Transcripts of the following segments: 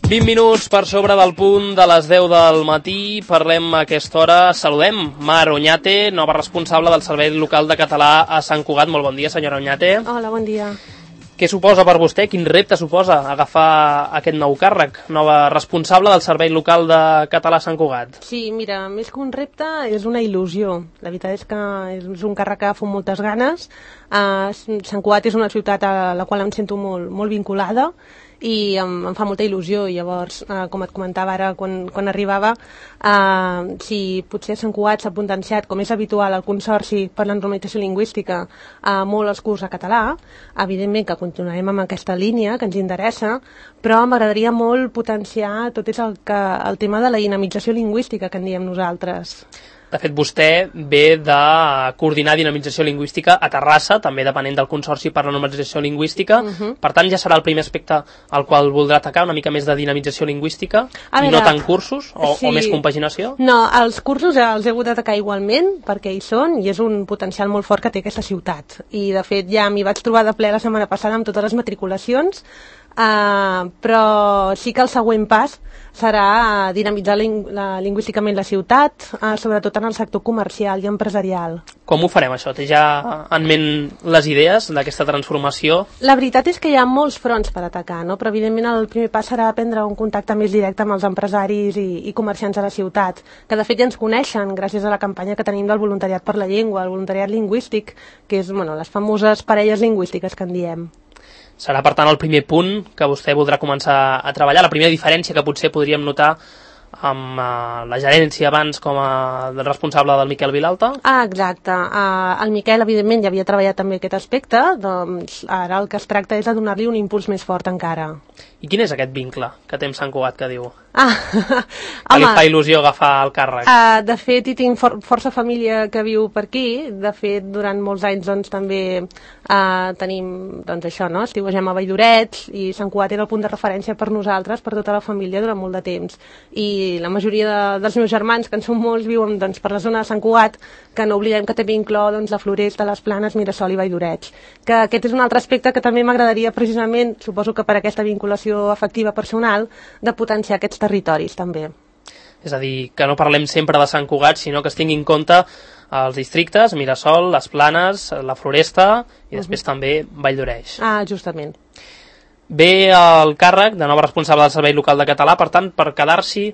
20 minuts per sobre del punt de les 10 del matí. Parlem a aquesta hora. Saludem Mar Oñate, nova responsable del Servei Local de Català a Sant Cugat. Molt bon dia, senyora Oñate. Hola, bon dia. Què suposa per vostè? Quin repte suposa agafar aquest nou càrrec? Nova responsable del Servei Local de Català a Sant Cugat. Sí, mira, més que un repte, és una il·lusió. La veritat és que és un càrrec que fa moltes ganes. Sant Cugat és una ciutat a la qual em sento molt vinculada i em fa molta il·lusió. Llavors, com et comentava ara quan arribava, si potser a Sant Cugat s'ha potenciat, com és habitual al Consorci per la Normalització Lingüística, molt els curs a català, evidentment que continuarem amb aquesta línia que ens interessa, però m'agradaria molt potenciar tot el tema de la dinamització lingüística que en diem nosaltres. De fet, vostè ve de coordinar dinamització lingüística a Terrassa, també depenent del Consorci per la Normalització Lingüística. Per tant, ja serà el primer aspecte al qual voldrà atacar, una mica més de dinamització lingüística, i no tant cursos o més compaginació? No, els cursos els he hagut d'atacar igualment, perquè hi són, i és un potencial molt fort que té aquesta ciutat. I, de fet, ja m'hi vaig trobar de ple la setmana passada amb totes les matriculacions, però sí que el següent pas serà dinamitzar lingüísticament la ciutat, sobretot en el sector comercial i empresarial. Com ho farem, això? Té ja en ment les idees d'aquesta transformació? La veritat és que hi ha molts fronts per atacar, no? Però evidentment el primer pas serà prendre un contacte més directe amb els empresaris i comerciants de la ciutat, que de fet ja ens coneixen gràcies a la campanya que tenim del voluntariat per la llengua, el voluntariat lingüístic, que és les famoses parelles lingüístiques que en diem. Serà, per tant, el primer punt que vostè voldrà començar a treballar, la primera diferència que potser podríem notar amb la gerència abans com a responsable del Miquel Vilalta? Exacte. El Miquel, evidentment, ja havia treballat també aquest aspecte, doncs ara el que es tracta és de donar-li un impuls més fort encara. I quin és aquest vincle que té amb Sant Cugat, que diu? Que li fa il·lusió agafar el càrrec? De fet, hi tinc força família que viu per aquí. De fet, durant molts anys doncs, també tenim això, no? Estiuegem a Valldorets i Sant Cugat era el punt de referència per nosaltres, per tota la família, durant molt de temps. I la majoria dels meus germans, que en són molts, viuen per la zona de Sant Cugat, que no oblidem que també inclou la Floresta, les Planes, Mirasol i Valldorets. Que aquest és un altre aspecte que també m'agradaria precisament, suposo que per aquesta vinculació afectiva personal, de potenciar aquests territoris també. És a dir, que no parlem sempre de Sant Cugat, sinó que es tingui en compte els districtes, Mirasol, les Planes, la Floresta i després també Valldoreix. Justament. Ve el càrrec de nova responsable del Servei Local de Català, per tant, per quedar-s'hi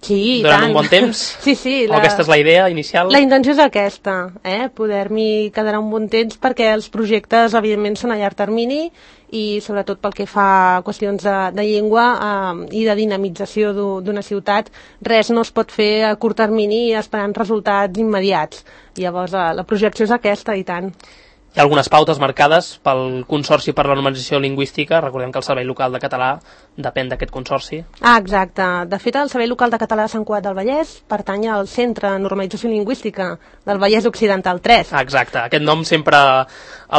durant un bon temps? Sí. O aquesta és la idea inicial? La intenció és aquesta, poder-m'hi quedar un bon temps, perquè els projectes, evidentment, són a llarg termini i sobretot pel que fa a qüestions de llengua i de dinamització d'una ciutat, res no es pot fer a curt termini esperant resultats immediats. Llavors, la projecció és aquesta, i tant. Hi ha algunes pautes marcades pel Consorci per la Normalització Lingüística. Recordem que el Servei Local de Català depèn d'aquest consorci. Exacte. De fet, el Servei Local de Català de Sant Cugat del Vallès pertany al Centre de Normalització Lingüística del Vallès Occidental 3. Exacte. Aquest nom sempre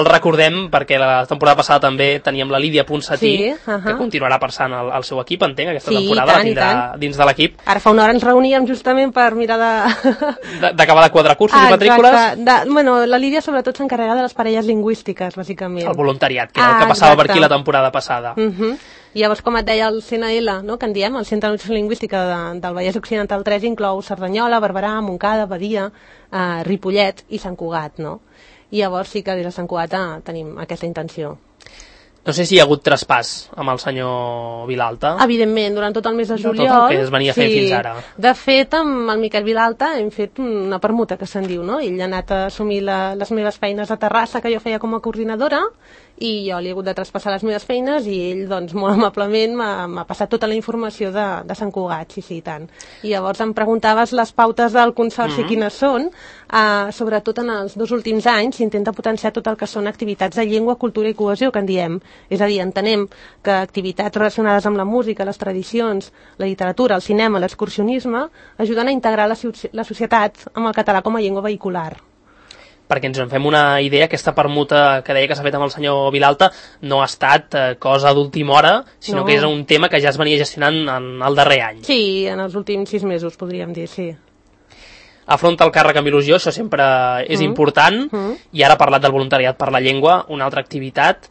el recordem perquè la temporada passada també teníem la Lídia Ponsatí, que continuarà passant al seu equip, entenc, aquesta temporada, la tindrà dins de l'equip. Ara fa una hora ens reuníem justament per mirar d'acabar de quadrar cursos i matrícules. La Lídia sobretot s'encarrega de les parelles lingüístiques, bàsicament. El voluntariat, que era el que passava per aquí la temporada passada. Llavors, com et deia, el CNL, que en diem, el Centre de Normalització Lingüística del Vallès Occidental 3, inclou Cerdanyola, Barberà, Montcada, Badia, Ripollet i Sant Cugat, no? I llavors sí que des de Sant Cugat tenim aquesta intenció. No sé si hi ha hagut traspàs amb el senyor Vilalta. Evidentment, durant tot el mes de juliol. Tot el que es venia fent fins ara. De fet, amb el Miquel Vilalta hem fet una permuta, que se'n diu, no? Ell ha anat a assumir les meves feines a Terrassa, que jo feia com a coordinadora, i jo li he hagut de traspassar les meves feines i ell, doncs, molt amablement m'ha passat tota la informació de Sant Cugat, sí, tant. I llavors em preguntaves les pautes del Consorci quines són. Sobretot en els 2 últims anys s'intenta potenciar tot el que són activitats de llengua, cultura i cohesió, que en diem. És a dir, entenem que activitats relacionades amb la música, les tradicions, la literatura, el cinema, l'excursionisme, ajuden a integrar la societat amb el català com a llengua vehicular. Perquè ens en fem una idea, aquesta permuta que deia que s'ha fet amb el senyor Vilalta no ha estat cosa d'última hora, sinó que és un tema que ja es venia gestionant en el darrer any. Sí, en els últims 6 mesos, podríem dir, sí. Afronta el càrrec amb il·lusió, això sempre és important, i ara ha parlat del voluntariat per la llengua, una altra activitat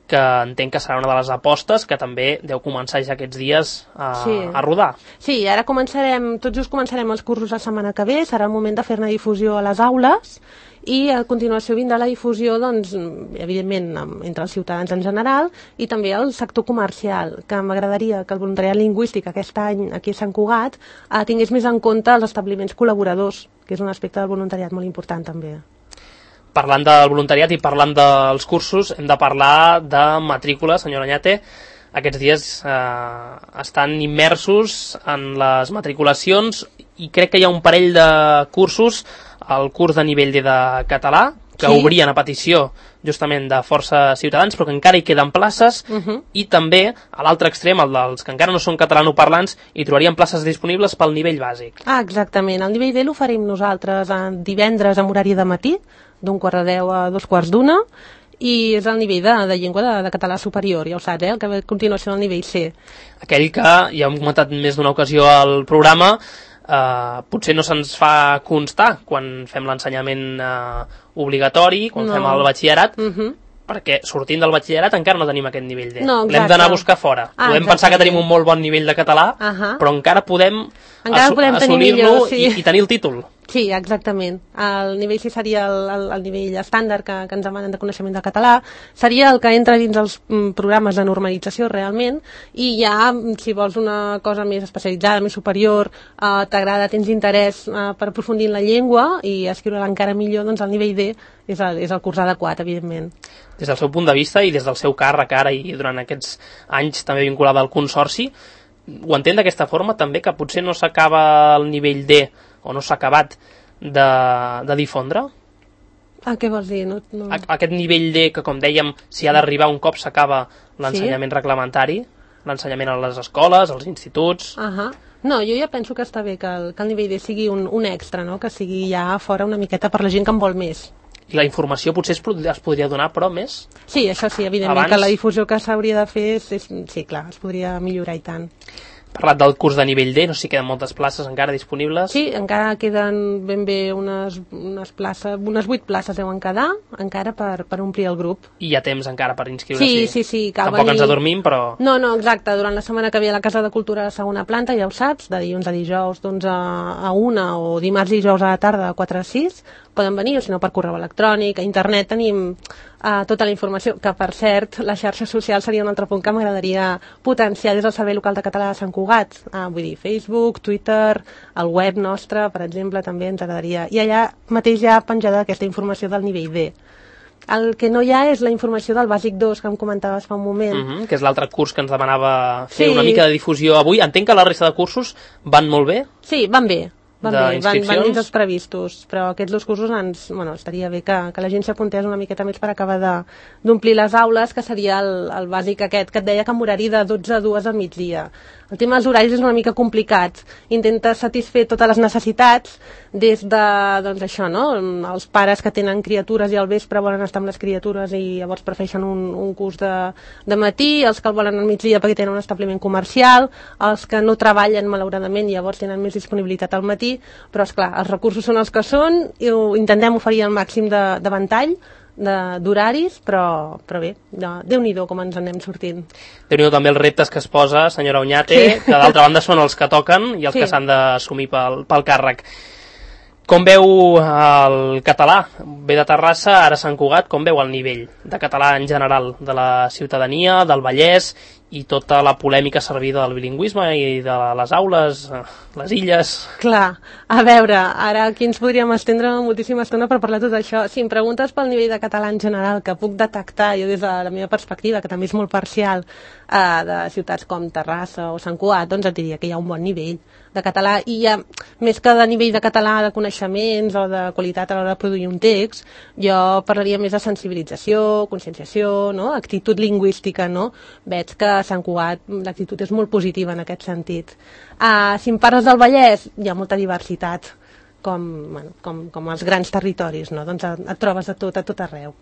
que entenc que serà una de les apostes que també deu començar ja aquests dies a rodar. Sí, ara tot just començarem els cursos la setmana que ve, serà el moment de fer-ne difusió a les aules i a continuació vindrà la difusió, doncs, evidentment, entre els ciutadans en general i també el sector comercial, que m'agradaria que el voluntariat lingüístic aquest any aquí a Sant Cugat tingués més en compte els establiments col·laboradors, que és un aspecte del voluntariat molt important també. Parlant del voluntariat i parlant dels cursos, hem de parlar de matrícula, senyora Oñate. Aquests dies estan immersos en les matriculacions i crec que hi ha un parell de cursos, el curs de nivell D de català, que obrien a petició justament de força ciutadans, però que encara hi queden places, i també, a l'altre extrem, el dels que encara no són catalanoparlants, hi trobarien places disponibles pel nivell bàsic. Exactament. El nivell D l'oferim nosaltres divendres amb horari de matí, d'11:45 a 2:45, i és el nivell de llengua de català superior, ja ho saps, el que ve a continuació del nivell C. Aquell que, ja hem comentat més d'una ocasió al programa, potser no se'ns fa constar quan fem l'ensenyament obligatori, quan fem el batxillerat, perquè sortint del batxillerat encara no tenim aquest nivell D. L'hem d'anar a buscar fora. Podem pensar que tenim un molt bon nivell de català, però encara podem assolir-lo i tenir el títol. Sí, exactament. El nivell C seria el nivell estàndard que ens demanen de coneixement del català, seria el que entra dins els programes de normalització realment, i ja, si vols una cosa més especialitzada, més superior, t'agrada, tens interès per aprofundir en la llengua i escriure-la encara millor, doncs el nivell D és el curs adequat, evidentment. Des del seu punt de vista i des del seu càrrec ara i durant aquests anys també vinculada al Consorci, ho entén d'aquesta forma també, que potser no s'acaba el nivell D o no s'ha acabat de difondre? Què vols dir? No. Aquest nivell D que, com dèiem, si ha d'arribar un cop s'acaba l'ensenyament reglamentari, l'ensenyament a les escoles, als instituts... No, jo ja penso que està bé que el nivell D sigui un extra, no? Que sigui ja fora una miqueta per la gent que en vol més. I la informació potser es podria donar, però més? Sí, això sí, evidentment, que la difusió que s'hauria de fer, sí, clar, es podria millorar i tant. Parlat del curs de nivell D, no sé si queden moltes places encara disponibles. Sí, encara queden ben bé unes places, unes 8 places deuen quedar, encara per omplir el grup. I hi ha temps encara per inscriure-s'hi. Sí, Tampoc ens adormim, però... No, exacte, durant la setmana que ve a la Casa de Cultura de la segona planta, ja ho saps, de dilluns a dijous d'11 a 1 o dimarts i dijous a la tarda de 4 a 6, poden venir, o si no per correu electrònic, a internet tenim tota la informació, que per cert, les xarxes socials seria un altre punt que m'agradaria potenciar des del Servei Local de Català de Sant Cugat, vull dir, Facebook, Twitter, el web nostre, per exemple, també ens agradaria, i allà mateix ja penjada aquesta informació del nivell D. El que no hi ha és la informació del Bàsic 2, que em comentaves fa un moment. Que és l'altre curs que ens demanava fer una mica de difusió avui. Entenc que la resta de cursos van molt bé? Sí, van bé. Van dins els previstos, però aquests dos cursos estaria bé que la gent s'apuntés una miqueta més per acabar d'omplir les aules, que seria el bàsic aquest, que et deia que amb horari de 12 a 2 al migdia. El tema dels horaris és una mica complicat. Intenta satisfer totes les necessitats des de, doncs això, no? Els pares que tenen criatures i al vespre volen estar amb les criatures i llavors prefereixen un curs de matí, els que el volen al migdia perquè tenen un establiment comercial, els que no treballen malauradament i llavors tenen més disponibilitat al matí, però esclar, els recursos són els que són i intentem oferir el màxim de ventall d'horaris, però bé, Déu-n'hi-do com ens anem sortint. Déu-n'hi-do també els reptes que es posa, senyora Oñate, que d'altra banda són els que toquen i els que s'han d'assumir pel càrrec. Com veu el català? Ve de Terrassa, ara Sant Cugat, com veu el nivell de català en general de la ciutadania, del Vallès i tota la polèmica servida del bilingüisme i de les aules, les illes? Clar, a veure, ara aquí ens podríem estendre moltíssima estona per parlar de tot això. Si em preguntes pel nivell de català en general, que puc detectar jo des de la meva perspectiva, que també és molt parcial, de ciutats com Terrassa o Sant Cugat, doncs et diria que hi ha un bon nivell de català, i hi ha, més que de nivell de català de coneixements o de qualitat a l'hora de produir un text, jo parlaria més de sensibilització, conscienciació, no? Actitud lingüística, no? Veig que a Sant Cugat l'actitud és molt positiva en aquest sentit. Si em parles del Vallès, hi ha molta diversitat, com els grans territoris, no? Doncs et trobes de tot, a tot arreu.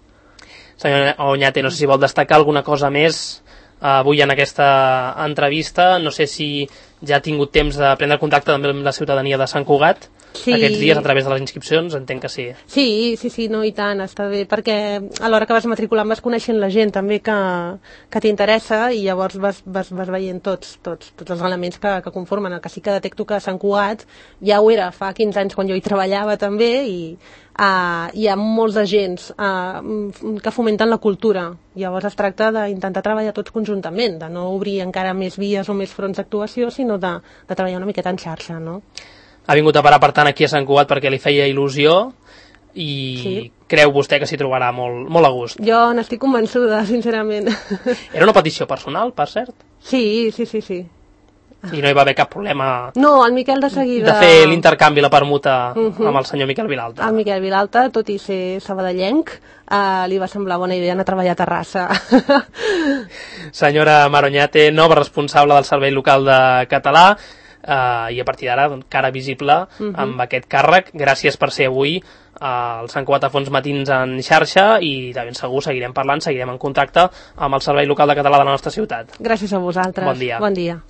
Senyora Oñate, no sé si vol destacar alguna cosa més avui en aquesta entrevista. No sé si ja ha tingut temps de prendre contacte també amb la ciutadania de Sant Cugat. aquests dies a través de les inscripcions, entenc que sí. Sí, no, i tant, està bé, perquè a l'hora que vas matriculant vas coneixent la gent també que t'interessa i llavors vas veient tots els elements que conformen. El que sí que detecto que Sant Cugat ja ho era fa 15 anys quan jo hi treballava també i hi ha molts agents que fomenten la cultura. Llavors es tracta d'intentar treballar tots conjuntament, de no obrir encara més vies o més fronts d'actuació, sinó de treballar una miqueta en xarxa, no? Ha vingut a parar, per tant, aquí a Sant Cugat perquè li feia il·lusió i creu vostè que s'hi trobarà molt a gust. Jo n'estic convençuda, sincerament. Era una petició personal, per cert? Sí. I no hi va haver cap problema... No, el Miquel de seguida... De fer l'intercanvi, la permuta amb el senyor Miquel Vilalta. El Miquel Vilalta, tot i ser sabadellenc, li va semblar bona idea anar a treballar a Terrassa. Senyora Maroñate, nova responsable del Servei Local de Català, i a partir d'ara cara visible amb aquest càrrec. Gràcies per ser avui al Sant Cugat a Fons Matins en xarxa i de ben segur seguirem parlant, seguirem en contacte amb el Servei Local de Català de la nostra ciutat. Gràcies a vosaltres. Bon dia. Bon dia.